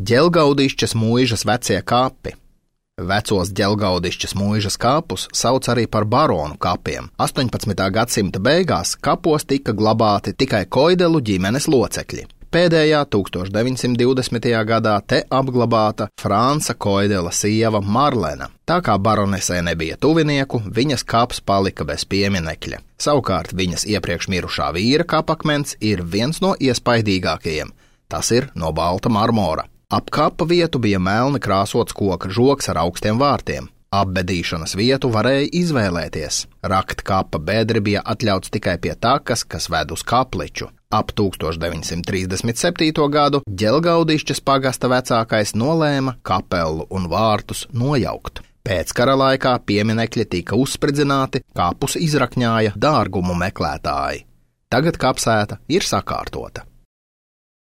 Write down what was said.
Ģelgaudišķas mūižas vecie kapi. Vecos Ģelgaudišķas mūižas kapus sauc arī par baronu kapiem. 18. gadsimta beigās kapos tika glabāti tikai Koidelu ģimenes locekļi. Pēdējā 1920. gadā te apglabāta Franca Koidela sieva Marlena. Tā kā baronesē nebija tuvinieku, viņas kaps palika bez pieminekļa. Savukārt viņas iepriekš mirušā vīra kapakmens ir viens no iespaidīgākajiem. Tas ir no balta marmora. Ap kapa vietu bija melni krāsots koka žogs ar augstiem vārtiem. Apbedīšanas vietu varēja izvēlēties. Rakt kapa bedri bija atļauts tikai pie takas, kas ved uz kapliču. Ap 1937. gadu Ģelgaudišķas pagasta vecākais nolēma kapelu un vārtus nojaukt. Pēckara laikā pieminekļi tika uzspridzināti, kapus izrakņāja dārgumu meklētāji. Tagad kapsēta ir sakārtota.